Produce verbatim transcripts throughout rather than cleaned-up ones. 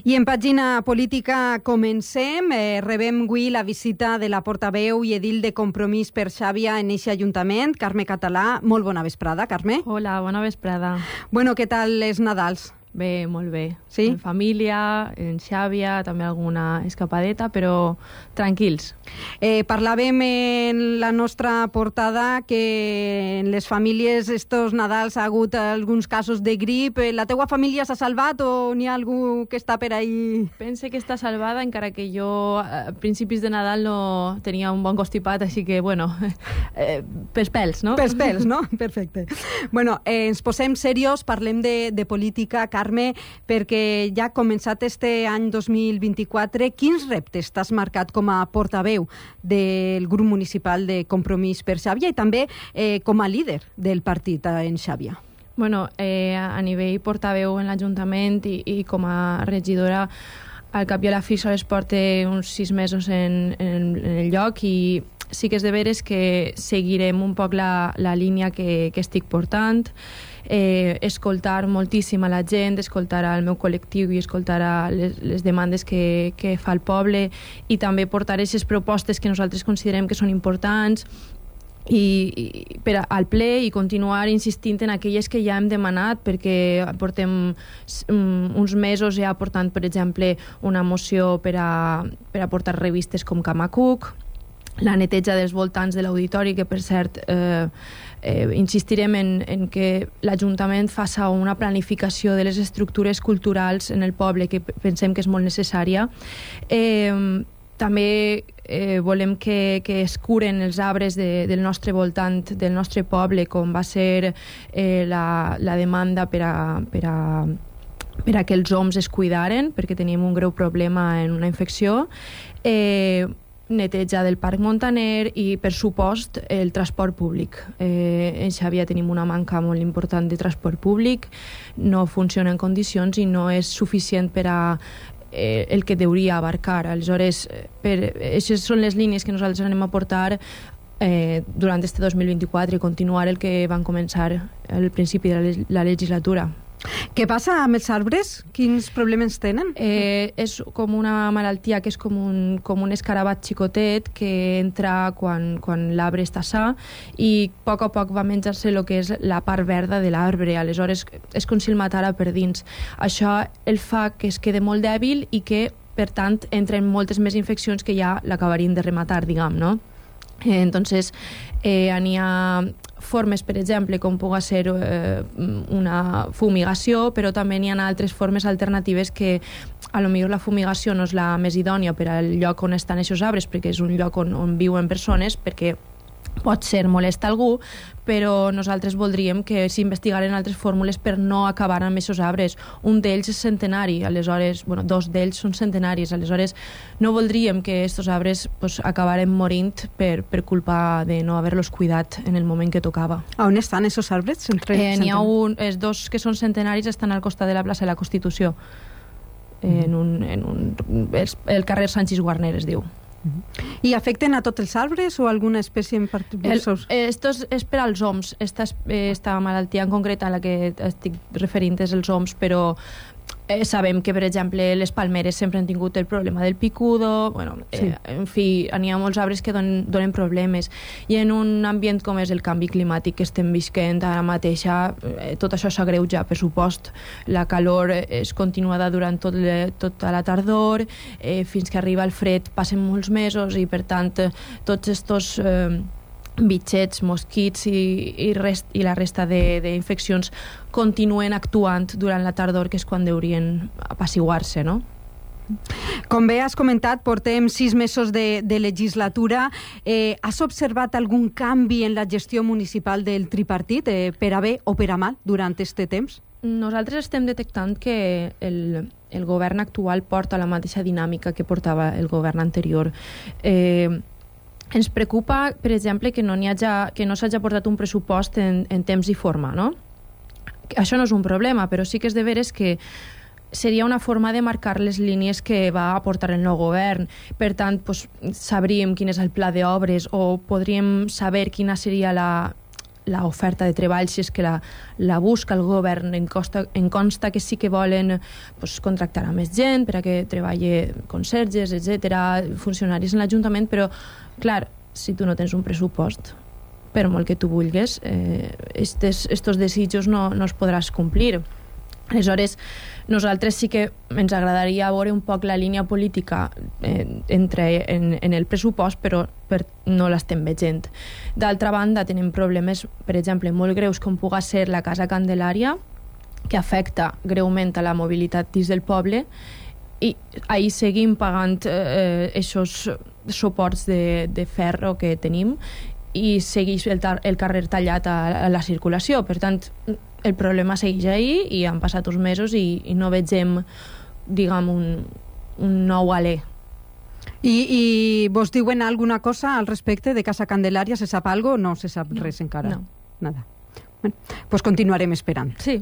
I en pàgina política comencem. Eh, rebem avui la visita de la portaveu i edil de Compromís per Xàbia en eixe ajuntament, Carme Català. Molt bona vesprada, Carme. Hola, bona vesprada. Bueno, què tal els Nadals? Bé, molt bé. Sí? En família, en Xàbia, també alguna escapadeta, però tranquils. Eh, parlàvem en la nostra portada que en les famílies estos Nadals ha hagut alguns casos de grip. La teua família s'ha salvat o n'hi ha algú que està per ahí? Pense que està salvada, encara que jo a principis de Nadal no tenia un bon constipat, així que, bueno, eh, pels pèls, no? Pels pèls, no? Perfecte. Bueno, eh, ens posem serios, parlem de, de política, Carme, perquè ja ha començat este any dos mil vint-i-quatre. Quins reptes t'has marcat com a portaveu del grup municipal de Compromís per Xàbia i també eh, com a líder del partit en Xàbia? Bueno, eh, a nivell portaveu en l'Ajuntament i, i com a regidora, al cap i a la fi sols porta uns sis mesos en, en, en el lloc i sí que és de veres que seguirem un poc la, la línia que, que estic portant, eh, escoltar moltíssim a la gent, escoltar al meu col·lectiu i escoltar a les, les demandes que, que fa el poble i també portar aquestes propostes que nosaltres considerem que són importants i, i per al ple i continuar insistint en aquelles que ja hem demanat, perquè portem um, uns mesos ja portant, per exemple, una moció per a, per a portar revistes com Camacuc, la neteja dels voltants de l'auditori, que per cert eh, eh, insistirem en, en que l'Ajuntament faci una planificació de les estructures culturals en el poble, que pensem que és molt necessària. Eh, també eh, volem que, que es curen els arbres de, del nostre voltant, del nostre poble, com va ser eh, la, la demanda per a, per a per a que els oms es cuidaren, perquè teníem un greu problema en una infecció. Eh, neteja del Parc Montaner i, per supost, el transport públic. Eh, en Xàbia tenim una manca molt important de transport públic, no funciona en condicions i no és suficient per a eh, el que deuria abarcar. Aleshores, per, aquestes són les línies que nosaltres anem a portar eh, durant este dos mil vint-i-quatre i continuar el que van començar al principi de la, la legislatura. Què passa amb els arbres? Quins problemes tenen? Eh, és com una malaltia que és com un, com un escarabat xicotet que entra quan, quan l'arbre està sa i a poc a poc va menjar-se el que és la part verda de l'arbre. Aleshores és com si el matara per dins. Això el fa que es quede molt dèbil i que, per tant, entren moltes més infeccions que ja l'acabarien de rematar, diguem, no? Eh, entonces, eh, n'hi ha formes, per exemple, com pugui ser eh, una fumigació, però també n'hi ha altres formes alternatives que a lo millor la fumigació no és la més idònia per al lloc on estan aquests arbres, perquè és un lloc on, on viuen persones, perquè pot ser molest a algú, però nosaltres voldríem que s'investigaren altres fórmules per no acabar amb aquests arbres. Un d'ells és centenari, aleshores, bueno, dos d'ells són centenaris, aleshores no voldríem que aquests arbres pues, acabaren morint per, per culpa de no haver-los cuidat en el moment que tocava. A on estan aquests arbres? Entre eh, N'hi ha un, els dos que són centenaris estan al costat de la plaça de la Constitució, mm-hmm. en un, en un, el, el carrer Sanchis Guarner es diu. I afecten a tots els arbres o alguna espècie en particular? Esto és, és per als oms. Esta, esta malaltia en concret a la que estic referint és els oms, però eh, sabem que, per exemple, les palmeres sempre han tingut el problema del picudo, bueno, eh, sí. En fi, n'hi ha molts arbres que donen, donen problemes. I en un ambient com és el canvi climàtic que estem visquent ara mateix, eh, tot això s'agreuja, per supost. La calor és continuada durant tot le, tota la tardor, eh, fins que arriba el fred passen molts mesos i, per tant, tots estos eh, bitxets, mosquits i, i, rest, i la resta d'infeccions continuen actuant durant la tardor, que és quan deurien apaciguar-se, no? Com bé has comentat, portem sis mesos de, de legislatura. Eh, has observat algun canvi en la gestió municipal del tripartit, eh, per a bé o per a mal, durant aquest temps? Nosaltres estem detectant que el, el govern actual porta la mateixa dinàmica que portava el govern anterior. Eh, Ens preocupa, per exemple, que no n'hi haja, que no s'hagi portat un pressupost en, en temps i forma, no? Això no és un problema, però sí que és de veres que seria una forma de marcar les línies que va aportar el nou govern. Per tant, pues, sabríem quin és el pla d'obres o podríem saber quina seria la, l'oferta de treball, si és que la, la busca el govern, en, costa, en consta que sí que volen pues, contractar a més gent per a que treballi conserges, etcètera, funcionaris en l'Ajuntament, però, clar, si tu no tens un pressupost, per molt que tu vulguis, eh, estes, estos desitjos no, no es podràs complir. Aleshores, nosaltres sí que ens agradaria veure un poc la línia política eh, entre en, en el pressupost, però per, no l'estem veient. D'altra banda, tenim problemes, per exemple, molt greus, com pugui ser la Casa Candelària, que afecta greument a la mobilitat dins del poble, i ahir seguim pagant eh, aquests suports de, de ferro que tenim i segueix el, el carrer tallat a, a la circulació. Per tant, el problema segueix ahí i han passat uns mesos i, i no vegem, diguem, un, un nou alè. I, I vos diuen alguna cosa al respecte de Casa Candelària? Se sap algo o no se sap no, res encara? No. Nada. Bueno, pues continuarem esperant. Sí.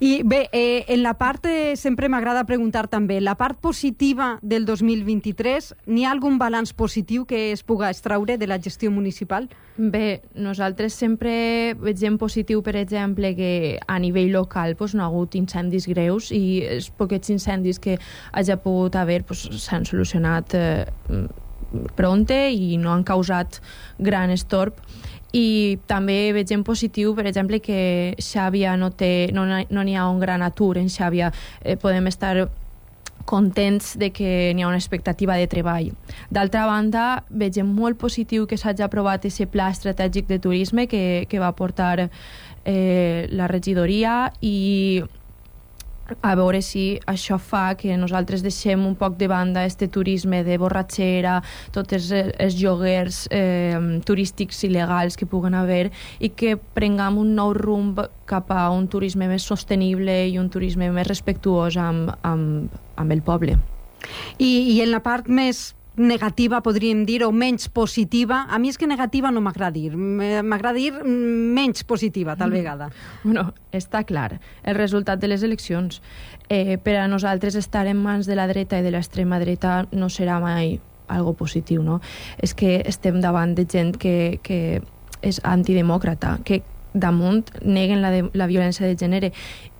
I bé, eh, en la part, eh, sempre m'agrada preguntar també, la part positiva del dos mil vint-i-tres, n'hi ha algun balanç positiu que es puga extraure de la gestió municipal? Bé, nosaltres sempre veiem positiu, per exemple, que a nivell local pues, no ha hagut incendis greus i els poquets incendis que hagi pogut haver pues, s'han solucionat eh, pronte i no han causat gran estorb. I també veiem positiu, per exemple, que Xàbia no té, no, no n'hi ha un gran atur en Xàbia. Eh, podem estar contents de que n'hi ha una expectativa de treball. D'altra banda, veiem molt positiu que s'hagi aprovat aquest pla estratègic de turisme que, que va portar eh, la regidoria i a veure si això fa que nosaltres deixem un poc de banda este turisme de borratxera, tots els, els lloguers eh, turístics il·legals que puguen haver i que prenguem un nou rumb cap a un turisme més sostenible i un turisme més respectuós amb, amb, amb el poble. I, I en la part més negativa, podríem dir, o menys positiva, a mi és que negativa no m'agrada dir, m'agrada dir menys positiva, tal vegada. Bueno, està clar, el resultat de les eleccions. Eh, per a nosaltres estar en mans de la dreta i de l'extrema dreta no serà mai algo positiu, no? És que estem davant de gent que, que és antidemòcrata, que damunt neguen la, de, la violència de gènere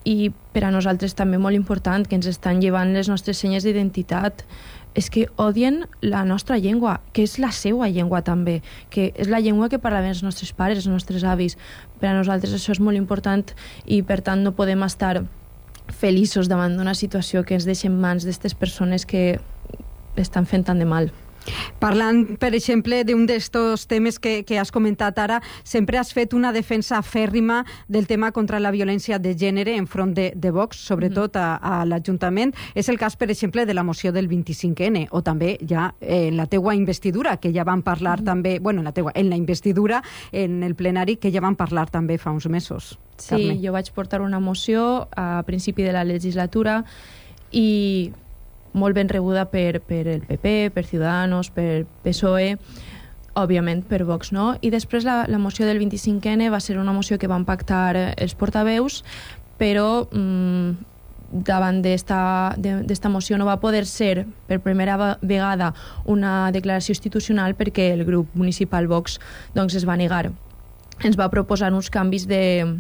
i per a nosaltres també molt important que ens estan llevant les nostres senyes d'identitat, és que odien la nostra llengua, que és la seva llengua també, que és la llengua que parlaven els nostres pares, els nostres avis. Per a nosaltres això és molt important i per tant no podem estar feliços davant d'una situació que ens deixa en mans d'aquestes persones que estan fent tant de mal. Parlant, per exemple, d'un d'estos temes que, que has comentat ara, sempre has fet una defensa fèrrima del tema contra la violència de gènere enfront de, de Vox, sobretot a, a l'Ajuntament. És el cas, per exemple, de la moció del vint-i-cinc ene, o també ja en la teua investidura, que ja vam parlar mm. també, bueno, en la teua, en la investidura, en el plenari, que ja vam parlar també fa uns mesos. Sí, Carme. Jo vaig portar una moció a principi de la legislatura i molt ben rebuda per, per el P P, per Ciudadanos, per P S O E, òbviament per Vox, no? I després la, la moció del vint-i-cinc ene va ser una moció que van pactar els portaveus, però mmm, davant d'esta moció no va poder ser per primera vegada una declaració institucional perquè el grup municipal Vox doncs, es va negar. Ens va proposar uns canvis de,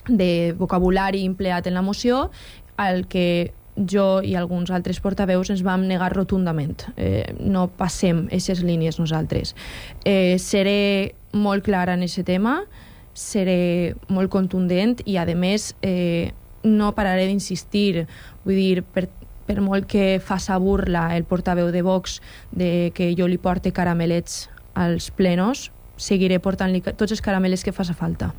de vocabulari empleat en la moció, al que jo i alguns altres portaveus ens vam negar rotundament. Eh, no passem aquestes línies nosaltres. Eh, seré molt clara en aquest tema, seré molt contundent i, a més, eh, no pararé d'insistir. Vull dir, per, per molt que faça burla el portaveu de Vox de que jo li porte caramelets als plenos, seguiré portant-li tots els caramelets que faça falta.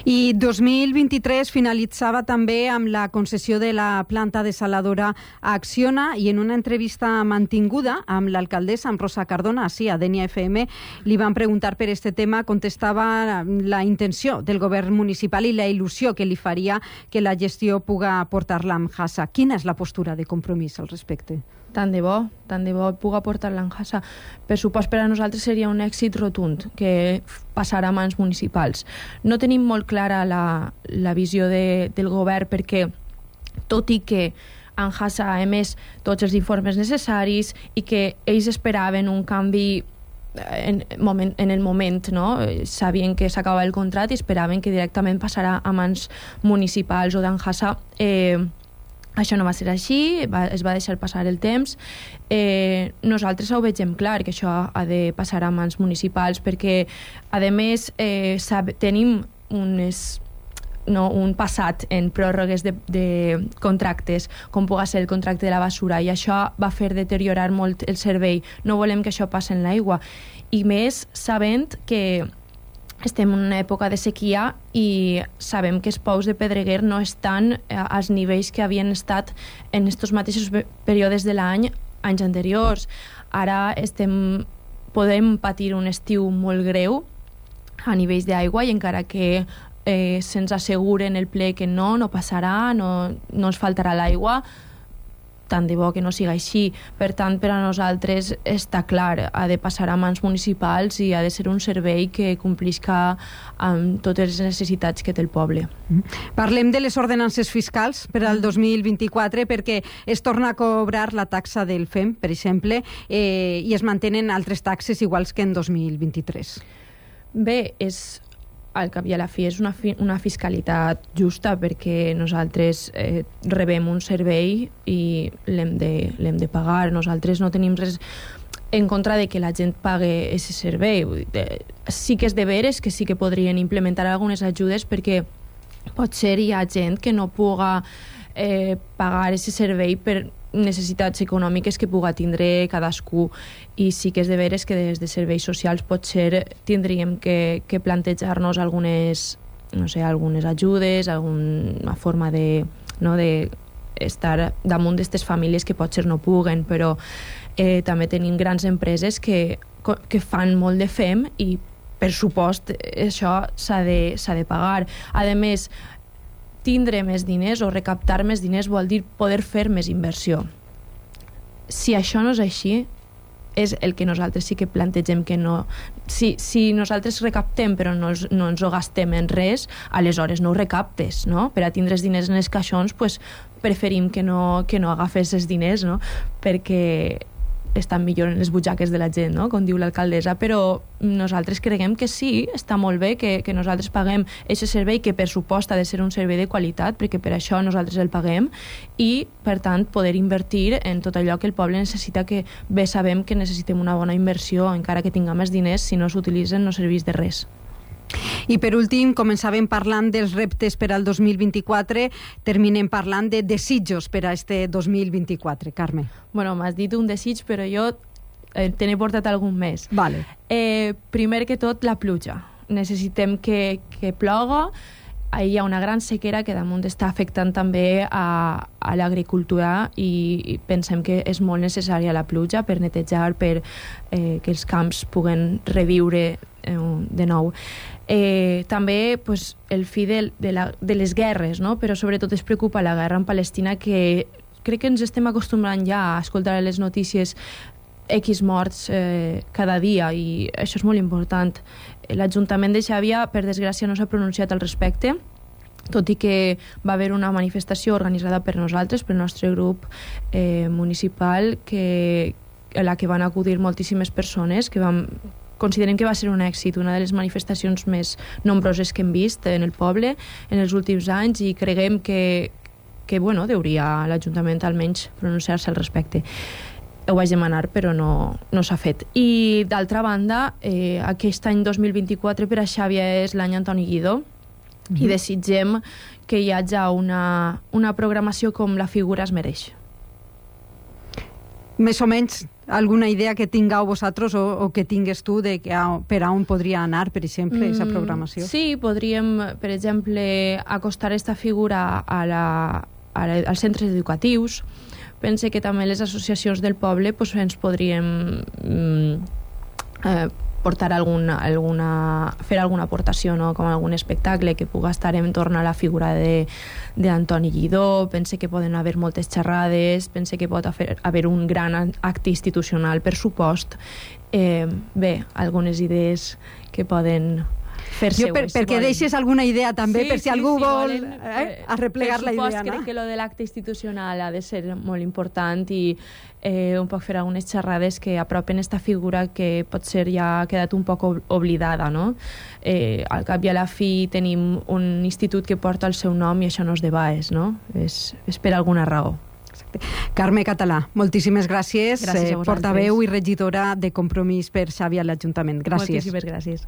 I dos mil vint-i-tres finalitzava també amb la concessió de la planta desaladora a Acciona i en una entrevista mantinguda amb l'alcaldessa, amb Rosa Cardona, sí, a Denia F M, li van preguntar per este tema, contestava la intenció del govern municipal i la il·lusió que li faria que la gestió puga portar-la amb Hassa. Quina és la postura de compromís al respecte? Tant de bo, tant de bo puga portar l'Anjassa. Per supost, per a nosaltres seria un èxit rotund que passarà a mans municipals. No tenim molt clara la, la visió de, del govern perquè, tot i que Anjassa ha emès tots els informes necessaris i que ells esperaven un canvi en, moment, en el moment, no? Sabien que s'acabava el contracte i esperaven que directament passarà a mans municipals o d'Anjasa. Eh, això no va ser així, va, es va deixar passar el temps. Eh, nosaltres ho vegem clar, que això ha de passar a mans municipals, perquè, a més, eh, sab, tenim unes... No, un passat en pròrrogues de, de contractes, com pugui ser el contracte de la basura, i això va fer deteriorar molt el servei. No volem que això passi en l'aigua, i més sabent que estem en una època de sequia i sabem que els pous de Pedreguer no estan als nivells que havien estat en aquests mateixos períodes de l'any anys anteriors. Ara estem, podem patir un estiu molt greu a nivells d'aigua, i encara que Eh, se'ns asseguren el ple que no, no passarà, no, no ens faltarà l'aigua, tant de bo que no siga així. Per tant, per a nosaltres està clar, ha de passar a mans municipals i ha de ser un servei que complisca amb totes les necessitats que té el poble. Parlem de les ordenances fiscals per al dos mil vint-i-quatre, perquè es torna a cobrar la taxa del F E M, per exemple, eh, i es mantenen altres taxes iguals que en dos mil vint-i-tres. Bé, és... al cap i a la fi és una, fi, una fiscalitat justa, perquè nosaltres eh, rebem un servei i l'hem de, l'hem de pagar. Nosaltres no tenim res en contra de que la gent pague aquest servei. Sí que és de veres que sí que podrien implementar algunes ajudes, perquè potser hi ha gent que no puga eh, pagar aquest servei per necessitats econòmiques que puga tindre cadascú, i sí que és de veres que des de serveis socials potser tindríem que, que plantejar-nos algunes, no sé, algunes ajudes, alguna forma de, no, de estar damunt d'aquestes famílies que potser no puguen, però eh, també tenim grans empreses que, que fan molt de F E M i, per supost, això s'ha de, s'ha de pagar. A més, tindre més diners o recaptar més diners vol dir poder fer més inversió. Si això no és així, és el que nosaltres sí que plantegem que no... Si, si nosaltres recaptem però no, no ens ho gastem en res, aleshores no ho recaptes, no? Per a tindre els diners en els caixons, pues, preferim que no, que no agafes els diners, no? Perquè estan millor en les butxaques de la gent, no? Com diu l'alcaldessa, però nosaltres creiem que sí, està molt bé que, que nosaltres paguem aquest servei, que per supost ha de ser un servei de qualitat, perquè per això nosaltres el paguem, i per tant poder invertir en tot allò que el poble necessita, que bé sabem que necessitem una bona inversió, encara que tinguem més diners, si no s'utilitzen no serveix de res. I per últim, començàvem parlant dels reptes per al dos mil vint-i-quatre, terminem parlant de desitjos per a este dos mil vint-i-quatre. Carme. Bueno, m'has dit un desig, però jo eh, te n'he portat algun més. Vale. Eh, primer que tot, la pluja. Necessitem que, que ploga. Ahí hi ha una gran sequera que damunt està afectant també a, a l'agricultura, i, i pensem que és molt necessària la pluja per netejar, per eh, que els camps puguen reviure eh, de nou. Eh, també pues, el fi de, de, la, de les guerres, no? Però sobretot es preocupa la guerra en Palestina, que crec que ens estem acostumbrant ja a escoltar a les notícies X morts eh, cada dia, i això és molt important. L'Ajuntament de Xàbia, per desgràcia, no s'ha pronunciat al respecte, tot i que va haver una manifestació organitzada per nosaltres, pel nostre grup eh, municipal, que, a la que van acudir moltíssimes persones, que vam, considerem que va ser un èxit, una de les manifestacions més nombroses que hem vist en el poble en els últims anys, i creguem que, que bueno, hauria l'Ajuntament almenys pronunciar-se al respecte. Ho vaig demanar, però no, no s'ha fet. I, d'altra banda, eh, aquest any dos mil vint-i-quatre per a Xàbia és l'any Antoni Guidó, mm-hmm. i desitgem que hi hagi una, una programació com la figura es mereix. Més o menys alguna idea que tingueu vosaltres o, o que tingues tu de que a, per a on podria anar, per exemple, aquesta mm, programació? Sí, podríem, per exemple, acostar aquesta figura a la, a la, als centres educatius. Pense que també les associacions del poble pues, ens podríem mm, eh, portar alguna, alguna, fer alguna aportació, no? Com algun espectacle que pugui estar en torn a la figura d'Antoni Guidó. Pense que poden haver moltes xerrades, pense que pot haver, haver un gran acte institucional, per supost. Eh, bé, algunes idees que poden fer jo seu. per, perquè volen. Deixes alguna idea també, sí, per si sí, algú sí, vol volen, eh, arreplegar la idea. Crec no? que lo de l'acte institucional ha de ser molt important i eh, un poc fer algunes xerrades que apropen esta figura que potser ja ha quedat un poc oblidada, no? Eh, al cap i a la fi tenim un institut que porta el seu nom i això no és de Baes, no? És, és per alguna raó. Carme Català, moltíssimes gràcies, gràcies eh, portaveu i regidora de Compromís per Xàbia a l'Ajuntament. Gràcies. Moltíssimes gràcies.